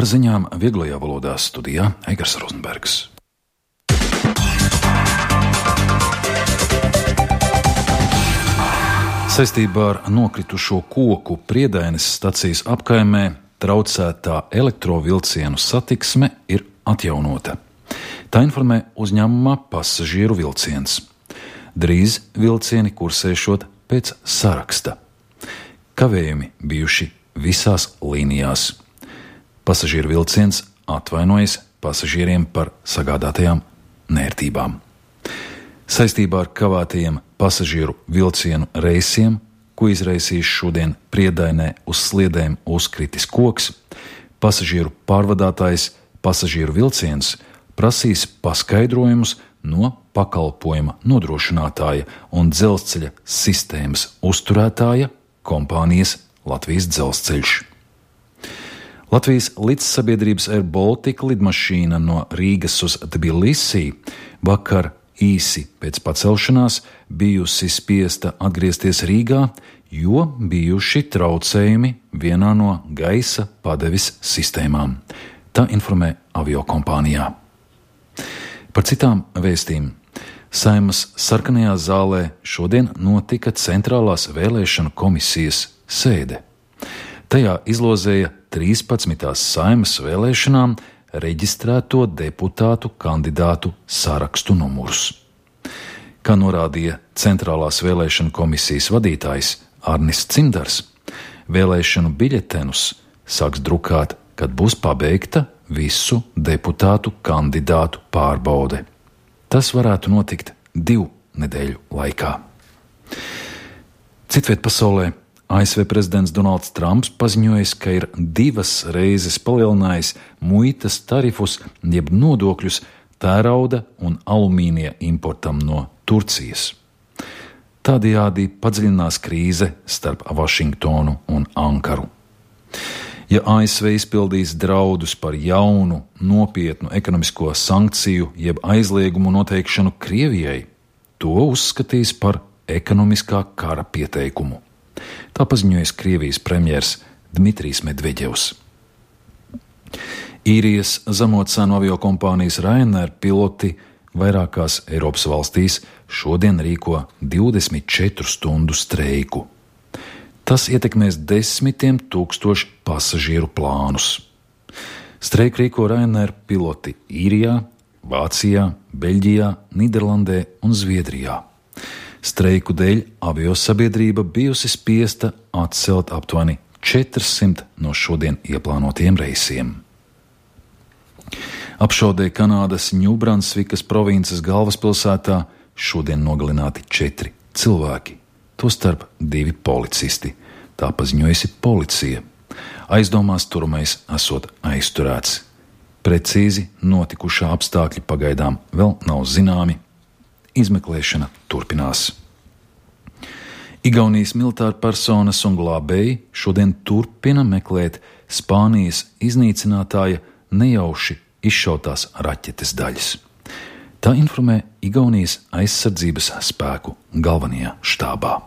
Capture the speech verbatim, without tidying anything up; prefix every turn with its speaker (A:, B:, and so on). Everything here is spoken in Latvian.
A: Ar ziņām vieglajā valodā studijā Eigars Rozenbergs. Saistībā ar nokritušo koku Priedaines stacijas apkaimē traucētā elektrovilcienu satiksme ir atjaunota. Tā informē uzņēmumā Pasažieru vilciens. Drīz vilcieni kursēšot pēc saraksta. Kavējumi bijuši visās līnijās. Pasažieru vilciens atvainojas pasažieriem par sagādātajām nērtībām. Saistībā ar kavētajiem pasažieru vilcienu reisiem, ko izraisīs šodien Priedainē uz sliedēm uzkritis koks, pasažieru pārvadātājs Pasažieru vilciens prasīs paskaidrojumus no pakalpojuma nodrošinātāja un dzelzceļa sistēmas uzturētāja kompānijas Latvijas dzelzceļš. Latvijas līdzsabiedrības Air Baltica lidmašīna no Rīgas uz Tbilisī vakar īsi pēc pacelšanās bijusi spiesta atgriezties Rīgā, jo bijuši traucējumi vienā no gaisa padeves sistēmām. Tā informē aviokompānijā. Par citām vēstīm. Saeimas sarkanajā zālē šodien notika centrālās vēlēšanu komisijas sēde. Tajā izlozēja trīspadsmitās Saeimas vēlēšanām reģistrēto deputātu kandidātu sarakstu numurus. Kā norādīja Centrālās vēlēšanu komisijas vadītājs Arnis Cimdars, vēlēšanu biļetenus sāks drukāt, kad būs pabeigta visu deputātu kandidātu pārbaude. Tas varētu notikt divu nedēļu laikā. Citviet pasaulē A S V prezidents Donalds Trumps paziņojis, ka ir divas reizes palielinājis muitas tarifus jeb nodokļus tērauda un alumīnija importam no Turcijas. Tādējādi padziļinās krīze starp Vašingtonu un Ankaru. Ja A S V izpildīs draudus par jaunu, nopietnu ekonomisko sankciju jeb aizliegumu noteikšanu Krievijai, to uzskatīs par ekonomiskā kara pieteikumu. Tā paziņojas Krievijas premjers Dmitrijs Medveģevs. Īrijas zemocēnu aviokompānijas Ryanair piloti vairākās Eiropas valstīs šodien rīko divdesmit četru stundu streiku. Tas ietekmēs desmitiem tūkstošu pasažieru plānus. Streiku rīko Ryanair piloti Īrijā, Vācijā, Beļģijā, Nīderlandē un Zviedrijā. Streiku dēļ aviosabiedrība bijusi spiesta atcelt aptuveni četrsimt no šodien ieplānotiem reisiem. Apšaudē Kanādas Ņūbransvikas provinces galvaspilsētā šodien nogalināti četri cilvēki, tostarp divi policisti. Tā paziņojusi policija. Aizdomās turamais esot aizturēts. Precīzi notikušā apstākļi pagaidām vēl nav zināmi. Izmeklēšana turpinās. Igaunijas militāra personas un glābēji šodien turpina meklēt Spānijas iznīcinātāja nejauši izšautās raķetes daļas. Tā informē Igaunijas aizsardzības spēku galvenajā štābā.